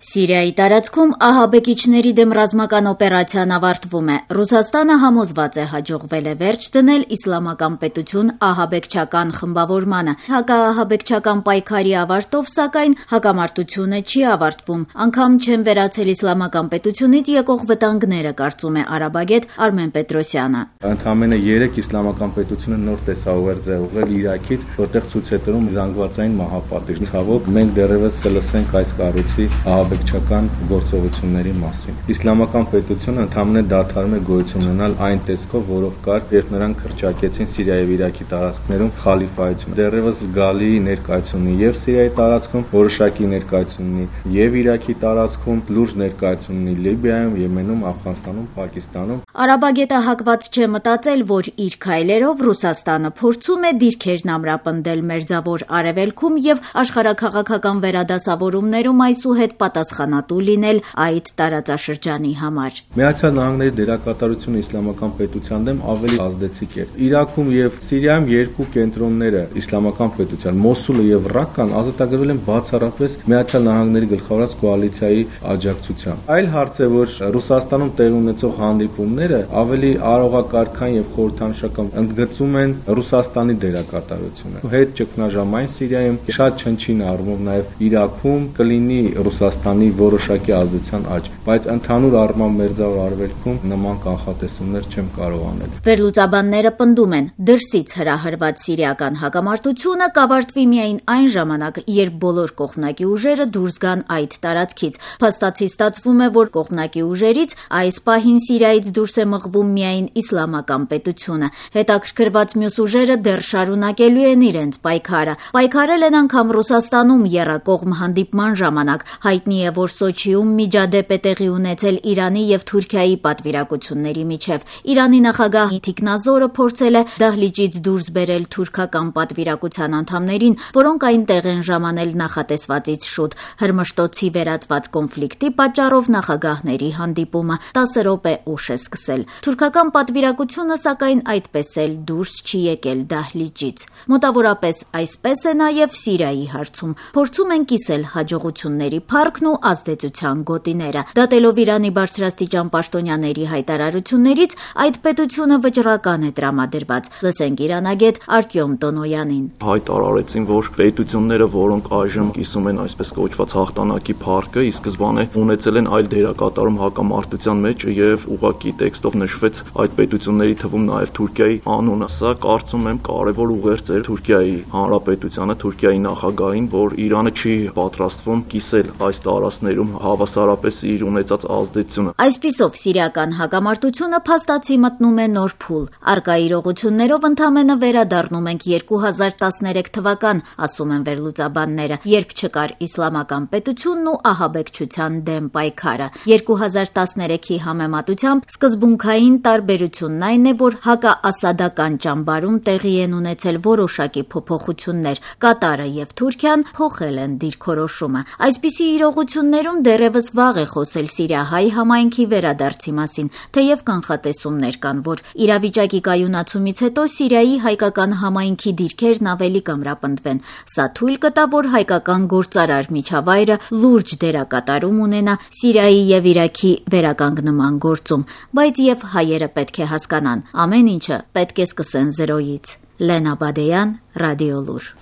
Սիրիայի տարածքում ահաբեկիչների դեմ ռազմական օպերացիան ավարտվում է։ Ռուսաստանը համոզված է հաջողվել է վերջ դնել իսլամական պետություն ահաբեկչական խմբավորմանը։ Հակաահաբեկչական պայքարի ավարտով, սակայն, հակամարտությունը չի ավարտվում, անգամ չեն վերացել իսլամական պետությունից եկող վտանգները, կարծում է արաբագետ Արմեն Պետրոսյանը։ Ընդամենը 3 իսլամական պետությունը նոր տեսաուղեր ձեռուղել Իրաքից, որտեղ ցույց է տվում զանգվածային մահապատիժ։ Ցավոք, մենք դեռևս լսենք այս կառույցի ահաբեկչական գործողությունների մասին։ Իսլամական պետությունը ընդամենը դադարում է գոյություն ունենալ այն տեսքով, որով կար, երբ նրանք հռչակեցին Սիրիայի եւ Իրաքի տարածքներում խալիֆայություն։ Դեռևս զգալի ներկայություն ունի եւ Սիրիայի տարածքում, որոշակի ներկայություն ունի եւ Իրաքի տարածքում, լուրջ ներկայություն ունի Լիբիայում, Եմենում, Աֆղանստանում, Պակիստանում։ Արաբագետը հակված չէ մտածել, որ իր քայլերով Ռուսաստանը փորձում է դիրքերն ամրապնդել Մերձավոր Արևելքում եւ աշխարհաքաղաքական վերադասավորումներում այսուհետ պատասխանատու լինել այդ տարածաշրջանի համար։ Միացյալ Նահանգների դերակատարությունը իսլամական պետության դեմ ավելի ազդեցիկ է։ Իրաքում եւ Սիրիայում երկու կենտրոնները իսլամական պետության Մոսուլը եւ Ռակկան ազատագրվել են բացառապես Միացյալ Նահանգների գլխավորած կոալիցիայի աջակցությամբ։ Այլ հարց է, որ Ռուսաստանում տեղի ունեցող հանդիպումները ավելի արողակարգան եւ խորհրդանշական ընդգծում են Ռուսաստանի դերակատարությունը։ Հետ ճգնաժամային Սիրիայում շատ չնչին առումով նաեւ Իրաքում կլինի Ռուսաստանի որոշակի ազդեցության աճ, բայց ընդհանուր առմամբ Մերձավոր Արևելքում նման կանխատեսումներ չեմ կարող անել։ Վերլուծաբանները պնդում են, դրսից հրահրված սիրիական հակամարտությունը կավարտվի միայն այն ժամանակ, երբ բոլոր կողմնակի ուժերը դուրս գան այդ տարածքից։ Փաստացի ստացվում է, որ կողմնակի ուժերից այս պահին Սիրիայից դուրս է մղվում միայն իսլամական պետությունը։ Հետաքրքրված մյուս ուժերը դեռ շարունակելու են իրենց պայքարը։ Պայքարել են անգամ Ռուսաստանում եռակողմ հանդիպման ժամանակ։ Հայտնի է, որ Սոչիում միջադեպ է տեղի ունեցել Իրանի եւ Թուրքիայի պատվիրակությունների միջև։ Իրանի նախագահ Թիկնազորը փորձել է դահլիճից դուրս բերել թուրքական պատվիրակության անդամներին, որոնք այնտեղ են ժամանել նախատեսվածից շուտ։ Հրմշտոցի վերածված կոնֆլիկտի պատճառով նախագահների հանդիպումը 10 րոպե ուշ է սկսել։ Թուրքական պատվիրակությունը, սակայն, այդպես էլ դուրս չի եկել դահլիճից։ Մոտավորապես այսպես է նաեւ Սիրիայի հարցում։ Փորձում են կիսել հաջողությունների փառքն ու ազդեցության գոտիները։ Դատելով Իրանի բարձրաստիճան պաշտոնյաների հայտարարություններից, այդ պետությունը վճռական է տրամադրված։ Լսենք իրանագետ Արտյոմ Տոնոյանին։ Հայտարարեցին, որ պետությունները, որոնք այժմ կիսում են այսպես կոչված հաղթանակի փառքը, ի սկզբանե ունեցել են այլ դերակատարում հակամարտության մեջ եւ ուղղակի տեքստով նշվեց այդ պետությունների թվում նաեւ Թուրքիայի անունը։ Սա կարծում եմ կարևոր ուղերձ էր Թուրքիայի հանրապետությանը, Թուրքիայի նախագահին, որ Իրանը չի պատրաստվում կիսել այս տարածքներում հավասարապես իր ունեցած ազդեցությունը։ Այսպիսով սիրիական հակամարտությունը փաստացի մտնում է նոր փուլ։ Առկա իրողություններով ընդամենը վերադառնում ենք 2013 թվական, ասում են վերլուծաբանները, երբ չկար իսլամական պետությունն ու ահաբեկչության դեմ պայքարը։ 2013-ի համեմատությամբ սկզբունքային տարբերությունն այն է, որ հակաասադական ճամբարում տեղի են ունեցել որոշակի փոփոխություններ։ Կատարը եւ Թուրքիան փոխել են դիրքորոշումը։ Այսպիսի իրողություններում դեռևս վաղ է խոսել սիրիահայ համայնքի վերադարձի մասին, թեև կանխատեսումներ կան, որ իրավիճակի կայունացումից հետո Սիրիայի հայկական համայնքի դիրքերն ավելի կամրապնդվեն։ Սա թույլ կտա, որ հայկական գործարար միջավայրը լուրջ դերակատարում ունենա Սիրիայի եւ Իրաքի վերականգնման գործում, բայց եւ հայերը պետք է հասկանան, ամեն ինչը պետք է սկսեն զրոյից։ Լենա Բադեյան, Ռադիոլուր։